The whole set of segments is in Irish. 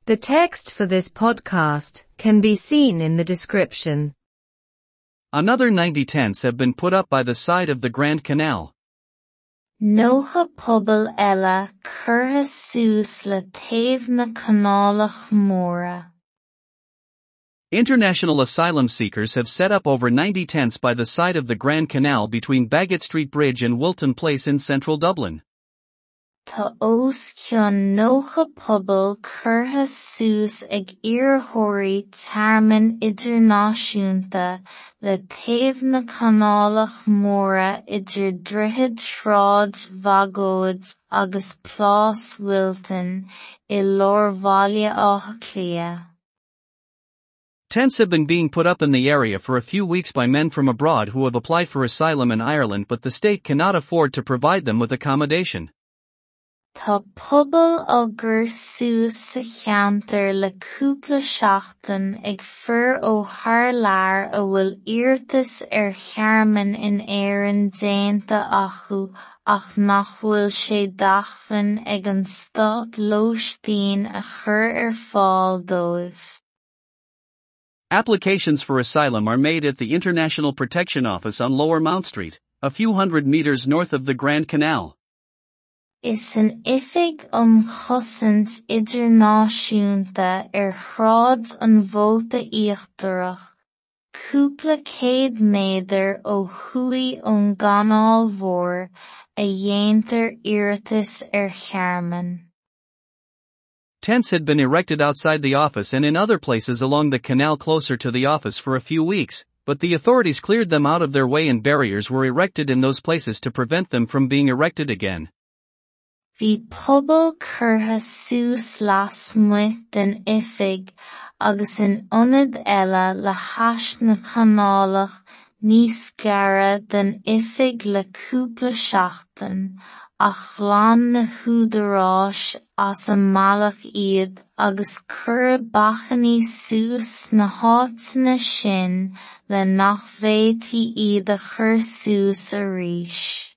The text for this podcast can be seen in the description. Another 90 tents have been put up by the side of the Grand Canal. 90 puball eile curtha suas le taobh na Canálach Móire. International asylum seekers have set up over 90 tents by the side of the Grand Canal between Baggot Street Bridge and Wilton Place in central Dublin. Tá os cionn 90 puball curtha suas ag iarrthóirí tearmainn idirnáisiúnta le taobh na Canálach Móire idir Droichead Shráid Bhagóid agus Plás Wilton i lár Bhaile Átha Cliath. Tents have been being put up in the area for a few weeks by men from abroad who have applied for asylum in Ireland but the state cannot afford to provide them with accommodation. Tá pubaill á gcur suas sa cheantar le cúpla seachtain ag fir ó thar lear a bhfuil iarratas ar thearmann in Éirinn déanta acu ach nach bhfuil sé d'acmhainn ag an stát lóistín a chur ar fáil dóibh. Applications for asylum are made at the International Protection Office on Lower Mount Street, a few hundred meters north of the Grand Canal. Is san Oifig um Chosaint Idirnáisiúnta ar Shráid an Mhóta Íochtarach, cúpla céad méadar ó thuaidh ón gCanáil Mhór, a dhéantar iarratas ar thearmann. Tents had been erected outside the office and in other places along the canal closer to the office for a few weeks, but the authorities cleared them out of their way and barriers were erected in those places to prevent them from being erected again. Bhí puball curtha suas lasmuigh den oifig agus in ionaid eile le hais na Canálach níos gaire den oifig le cúpla seachtain, ach ghlan na húdaráis as a mbealach iad agus cuireadh bacainní suas sna háiteanna sin le nach bhféadfaí iad a chur suas arís.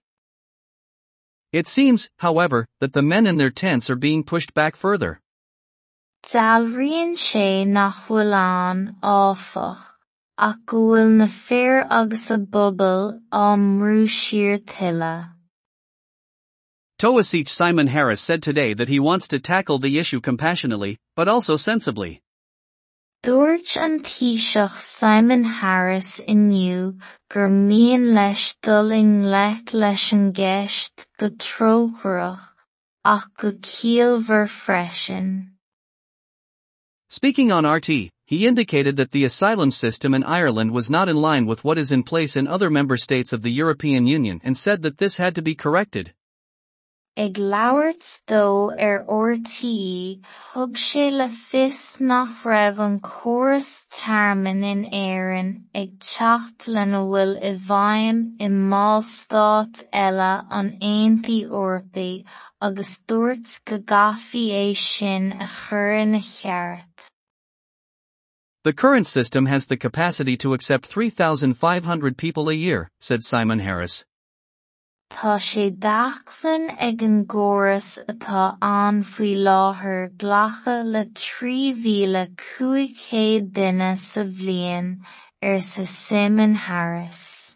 It seems, however, that the men in their tents are being pushed back further. Dealraíonn sé nach bhfuil ann, áfach, ach go bhfuil na fir agus a bpubaill á mbrú siar tuilleadh. Taoiseach Simon Harris said today that he wants to tackle the issue compassionately, but also sensibly. Dúirt an Taoiseach Simon Harris inniu gur mian leis dul i ngleic leis an gceist go trócaireach, ach go ciallmhar freisin. Speaking on RTÉ, he indicated that the asylum system in Ireland was not in line with what is in place in other member states of the European Union and said that this had to be corrected. Ag labhairt dó ar RTÉ, thug sé le fios nach raibh an córas tearmainn in Éirinn ag teacht lena bhfuil i bhfeidhm i mBallstáit eile an Aontais Eorpaigh agus dúirt go gcaithfí é sin a chur ina cheart. The current system has the capacity to accept 3,500 people a year, said Simon Harris. Tá sé d'acmhainn ag an gcóras atá ann faoi láthair glacadh le 3,500 duine sa bhliain, arsa Simon Harris.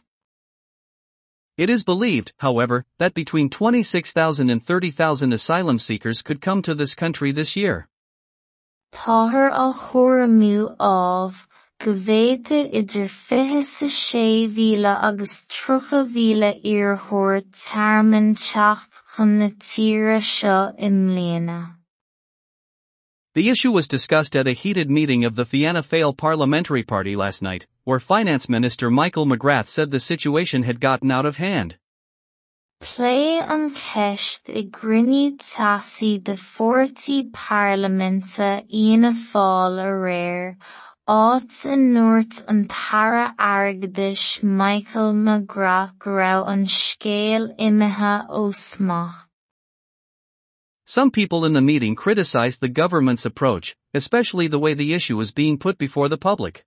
It is believed, however, that between 26,000 and 30,000 asylum seekers could come to this country this year. Táthar á thuairimiú ámh go bhféadfadh idir 26,000 agus 30,000 iarrthóir tearmainn teacht chun na tíre seo i mbliana. The issue was discussed at a heated meeting of the Fianna Fáil Parliamentary Party last night, where Finance Minister Michael McGrath said the situation had gotten out of hand. Pléadh an cheist i gcruinniú teasaí de pháirtí parlaiminte Fhianna Fáil aréir, áit a ndúirt an tAire Airgeadais Michael McGrath go raibh an scéal imithe ó smacht. Some people in the meeting criticized the government's approach, especially the way the issue was being put before the public.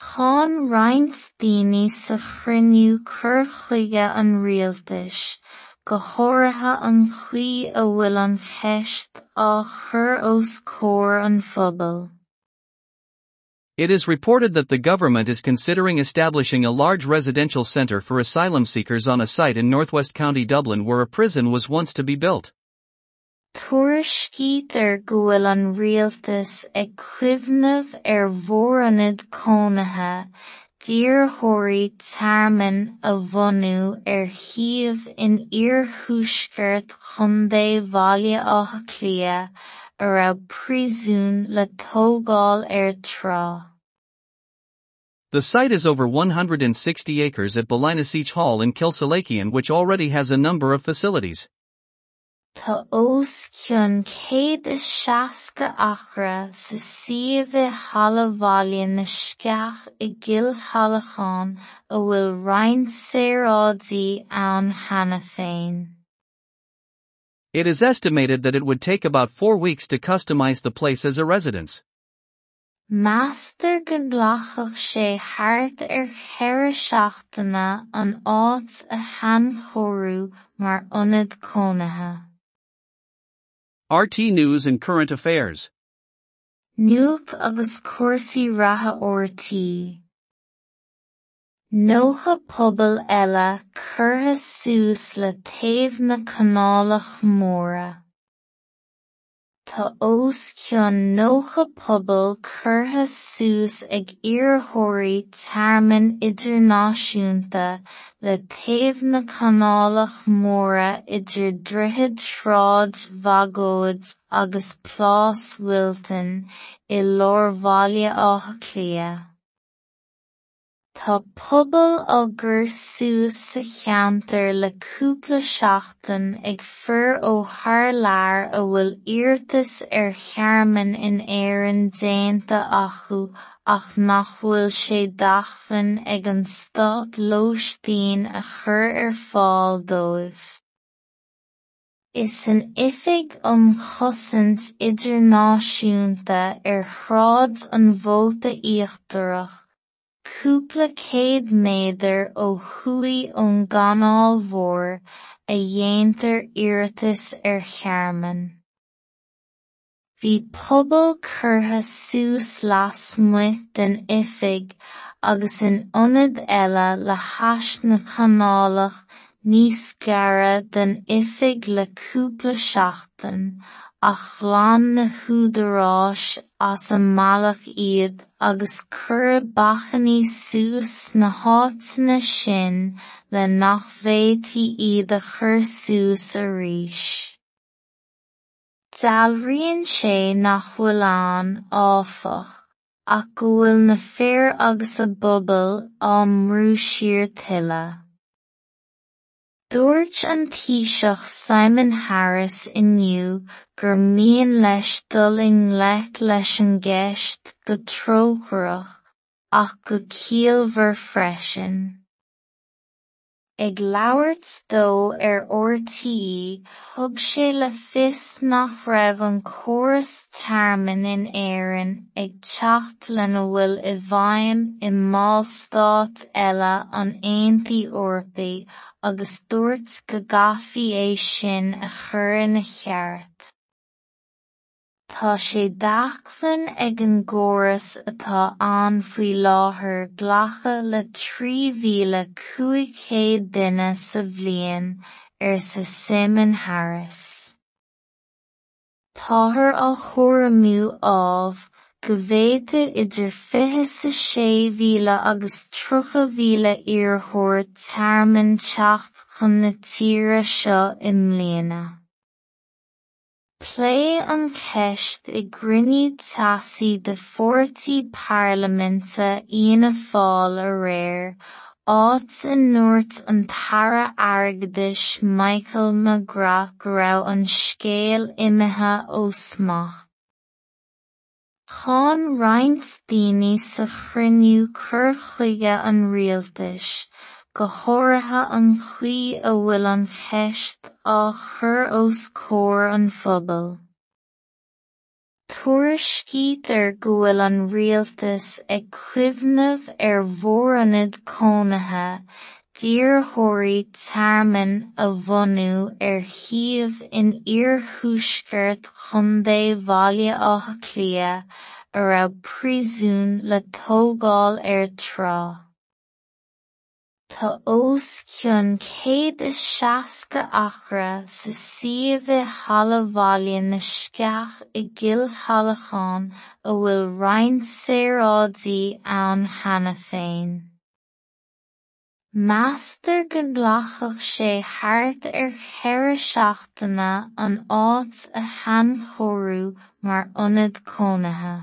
Cháin roinnt daoine sa chruinniú cur chuige an rialtais, go háirithe an chaoi a bhfuil an cheist á chur os comhair an phobail. It is reported that the government is considering establishing a large residential centre for asylum seekers on a site in northwest County Dublin where a prison was once to be built. Tuairiscítear go bhfuil an rialtas ag cuimhneamh ar mhórionad cónaithe d'iarrthóirí tearmainn a bhunú ar shuíomh in iarthuaisceart Chontae Bhaile Átha Cliath a raibh príosún le tógáil air tráth. The site is over 160 acres at Ballynaseech Hall in Kilsallaghan which already has a number of facilities. Tá os cionn 160 acra sa suíomh i Halla Bhaile na Sceach i gCill Shallacháin a bhfuil roinnt saoráidí ann cheana féin. It is estimated that it would take about 4 weeks to customize the place as a residence. Meastar go nglacfadh sé thart ar cheithre seachtaine an áit a shainchóiriú mar ionad cónaithe. RTÉ News and Current Affairs. Nuacht agus cúrsaí reatha RTÉ. 90 puball eile curtha suas le taobh na Canálach Móire. Tá os cionn 90 puball curtha suas ag iarrthóirí tearmainn idirnáisiúnta le taobh na Canálach Móire idir Droichead Shráid Bhagóid agus Plás Wilton i lár Bhaile Átha Cliath. Tá pubaill á gcur suas sa cheantar le cúpla seachtain ag fir ó thar lear a bhfuil iarratas ar thearmann in Éirinn déanta acu ach nach bhfuil sé d'acmhainn ag an stát lóistín a chur ar fáil dóibh. Is san Oifig um Chosaint Idirnáisiúnta ar Shráid an Mhóta Íochtarach, cúpla céad méadar ó thuaidh ón gCanáil Mhór, a dhéantar iarratas ar thearmann. Bhí puball curtha suas lasmuigh den oifig agus in ionad eile le hais na Canálach níos gaire don oifig le cúpla seachtain, ach ghlan na húdaráis as a mbealach iad agus cuireadh bacainní suas sna háiteanna sin le nach bhféadfaí iad a chur suas arís. Dealraíonn sé nach bhfuil ann, áfach, ach go bhfuil na fir agus a bpubaill á mbrú siar tuilleadh. Dúirt an Taoiseach Simon Harris inniu gur mian leis dul i ngleic leis an gceist go trócaireach, ach go ciallmhar freisin. Ag labhairt dó ar RTÉ, thug sé le fios nach raibh an córas tearmainn in Éirinn ag teacht lena bhfuil i bhfeidhm i mballstáit eile an Aontais Eorpaigh agus dúirt go gcaithfí é sin a chur ina cheart. Tá sé d'acmhainn ag an gcóras atá ann faoi láthair glacadh le 3,500 duine sa bhliain, arsa Simon Harris. Táthar á thuairimiú, ámh, go bhféadfadh idir 26,000 agus 30,000 iarrthóir tearmainn teacht chun na tíre seo i mbliana. Pléadh an cheist i gcruinniú teasaí de pháirtí parlaiminte Fhianna Fáil aréir, áit a ndúirt an tAire Airgeadais Michael McGrath go raibh an scéal imithe ó smacht. Cháin roinnt daoine sa chruinniú cur chuige an rialtais, go háirithe an chaoi a bhfuil an cheist á chur os comhair an phobail. Tuairiscítear go bhfuil an rialtas ag cuimhneamh ar mhórionad cónaithe d'iarrthóirí tearmainn a bhunú ar shuíomh in iarthuaisceart Chontae Bhaile Átha Cliath a raibh príosún le tógáil air tráth. Tá os cionn 160 acra sa suíomh i Halla Bhaile na Sceach i gCill Cheallacháin a bhfuil roinnt saoráidí ann cheana féin. Meastar go nglacfadh sé thart ar cheithre seachtaine an áit a shainchóiriú mar ionad cónaithe.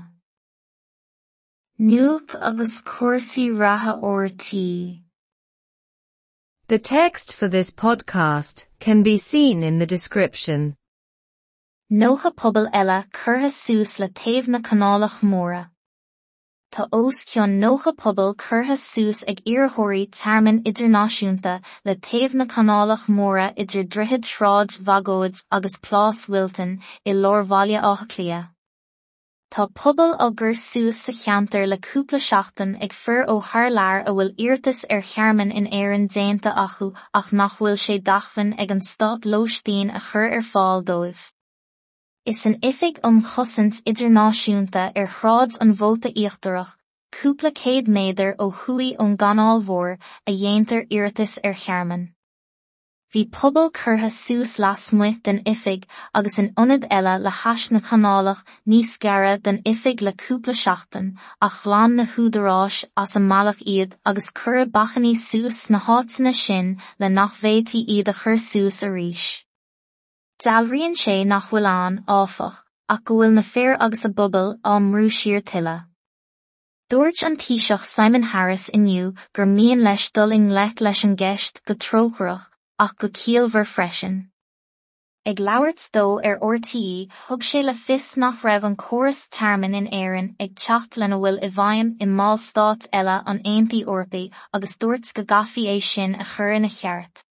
Nuacht agus cúrsaí reatha RTÉ. The text for this podcast can be seen in the description. 90 puball eile curtha suas le taobh na Canálach Móire. Tá os cionn 90 puball curtha suas ag iarrthóirí tearmainn idirnáisiúnta le taobh na Canálach Móire idir Droichead Shráid Bhagóid agus Plás Wilton i lár Bhaile Átha Cliath. Tá pubaill á gcur suas sa cheantar le cúpla seachtain ag fir ó thar lear a bhfuil iarratas ar thearmann in Éirinn déanta acu ach nach bhfuil sé d'acmhainn ag an stát lóistín a chur ar fáil dóibh. Is san Oifig um Chosaint Idirnáisiúnta ar Shráid an Mhóta Íochtarach, cúpla céad méadar ó thuaidh ón gCanáil Mhór, a dhéantar iarratais ar thearmann. Bhí puball curtha suas lasmuigh den oifig agus in ionad eile le hais na canálach níos gaire don oifig le cúpla seachtain, ach ghlan na húdaráis as a mbealach iad agus cuireadh bacainní suas sna háiteanna sin le nach bhféadfaí iad a chur suas arís. Dealraíonn sé nach bhfuil ann, áfach, ach go bhfuil na fir agus a bpubaill á mbrú siar tuilleadh. Dúirt an Taoiseach Simon Harris inniu gur mian leis dul i ngleic leis an gceist go trócaireach, ach go ciallmhar freisin. Ag labhairt dó ar RTÉ, thug sé le fios nach raibh an córas tearmainn in Éirinn ag teacht lena bhfuil i bhfeidhm i mballstáit eile an Aontais Eorpaigh agus dúirt go gcaithfí é sin a chur ina cheart.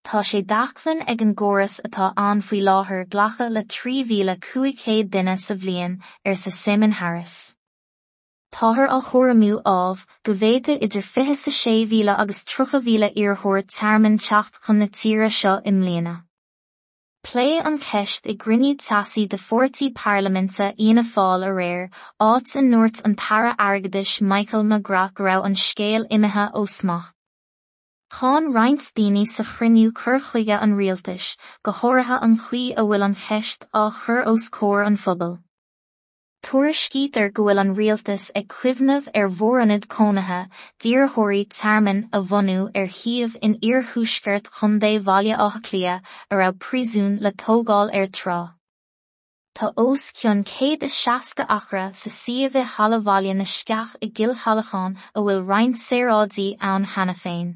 Tá sé d'acmhainn ag an gcóras atá ann faoi láthair glacadh le 3,500 duine sa bhliain, arsa Simon Harris. Táthar á thuairimiú, ámh, go bhféadfadh idir 26,000 agus 30,000 iarrthóir tearmainn teacht chun na tíre seo i mbliana. Pléadh an cheist i gcruinniú teasaí de pháirtí parlaiminte Fhianna Fáil aréir, áit a ndúirt an tAire Airgeadais Michael McGrath go raibh an scéal imithe ó smacht. Cháin roinnt daoine sa chruinniú cur chuige an rialtais, go háirithe an chaoi a bhfuil an cheist á chur os comhair an phobail. Tuairiscítear go bhfuil an rialtas ag cuimhneamh ar mhórionad cónaithe d'iarrthóirí tearmainn a bhunú ar shuíomh in iarthuaisceart Chontae Bhaile Átha Cliath a raibh príosún le tógáil air tráth. Tá os cionn 160 acra sa suíomh i Halla Bhaile na Sceach i gCill Cheallacháin a bhfuil roinnt saoráidí ann cheana féin.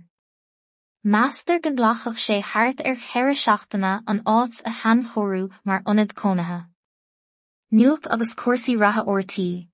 Meastar go nglacfadh sé thart ar cheithre seachtaine an áit a shainchóiriú mar ionad cónaithe. Nuacht agus cúrsaí reatha RTÉ.